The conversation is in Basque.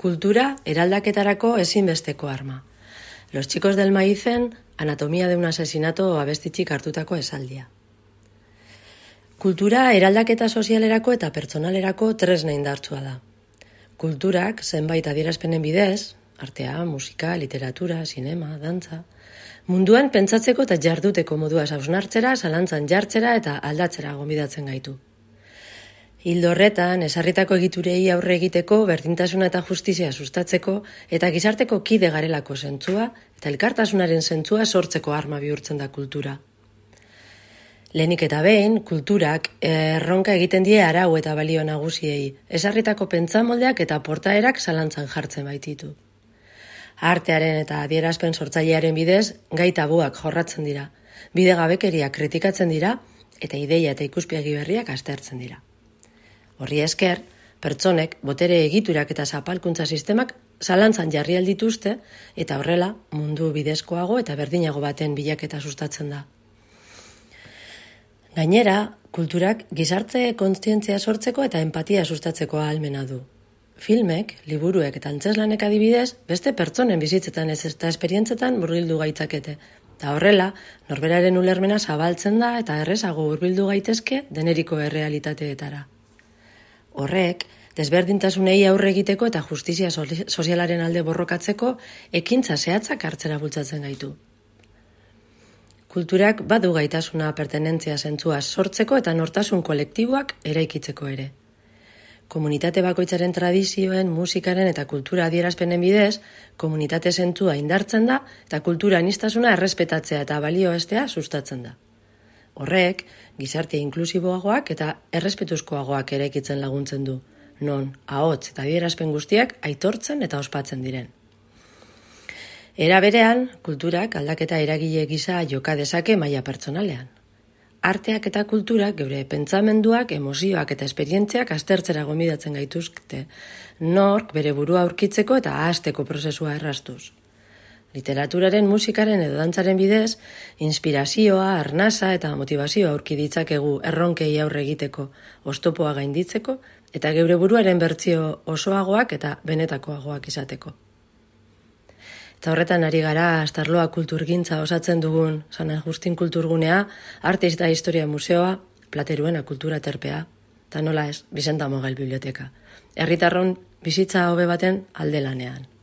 Kultura eraldaketarako ezinbesteko arma. Los chicos del maizen, anatomia de un asesinato abestitxik hartutako esaldia. Kultura eraldaketa sozialerako eta pertsonalerako tresna indartsua da. Kulturak zenbait adierazpenen bidez, artea, musika, literatura, sinema, dantza, munduan pentsatzeko eta jarduteko modua hausnartzera, zalantzan jartzera eta aldatzera gonbidatzen gaitu. Ildo horretan, ezarritako egiturei aurre egiteko, berdintasuna eta justizia sustatzeko eta gizarteko kide garelako zentzua eta elkartasunaren zentzua sortzeko arma bihurtzen da kultura. Lehenik eta behin, kulturak erronka egiten die arau eta balio nagusiei, ezarritako pentsamoldeak eta portaerak zalantzan jartzen baititu. Artearen eta adierazpen sortzailearen bidez, gai tabuak jorratzen dira, bidegabekeriak kritikatzen dira eta ideia eta ikuspegi berriak aztertzen dira. Horri esker, pertsonek, botere egiturak eta zapalkuntza sistemak zalantzan jarri aldituzte eta horrela mundu bidezkoago eta berdinago baten bilaketa sustatzen da. Gainera, kulturak gizarte kontzientzia sortzeko eta empatia sustatzeko ahalmena du. Filmek, liburuek eta antzeslanek adibidez, beste pertsonen bizitzetan ez eta esperientzetan murgildu gaitzakete. Eta horrela, norberaren ulermena zabaltzen da eta errezago hurbildu gaitezke deneriko errealitateetara. Horrek, desberdintasunei aurre egiteko eta justizia sozialaren alde borrokatzeko ekintza zehatzak hartzera bultzatzen gaitu. Kulturak badu gaitasuna pertenentzia zentzua sortzeko eta nortasun kolektiboak eraikitzeko ere. Komunitate bakoitzaren tradizioen, musikaren eta kultura adierazpenen bidez, komunitate zentzua indartzen da eta kultura aniztasuna errespetatzea eta balioestea sustatzen da. Horrek, gizarte inklusiboagoak eta errespetuzkoagoak eraikitzen laguntzen du, non ahots eta adierazpen guztiak aitortzen eta ospatzen diren. Era berean, kulturak aldaketa eragile gisa joka dezake maila pertsonalean. Arteak eta kulturak geure pentsamenduak, emozioak eta esperientziak aztertzera gonbidatzen gaituzkete, nork bere burua aurkitzeko eta ahazteko prozesua erraztuz. Literaturaren, musikaren edo dantzaren bidez, inspirazioa, arnasa eta motivazioa aurki ditzakegu erronkei aurre egiteko, oztopoa gainditzeko eta geure buruaren bertsio osoagoak eta benetakoagoak izateko. Eta horretan ari gara Astarloa kulturgintza osatzen dugun San Agustin kulturgunea, Arte eta Historia Museoa, Plateruena kultura terpea, eta nola ez, Bizenta Mogel biblioteka. Herritarron bizitza hobe baten alde lanean.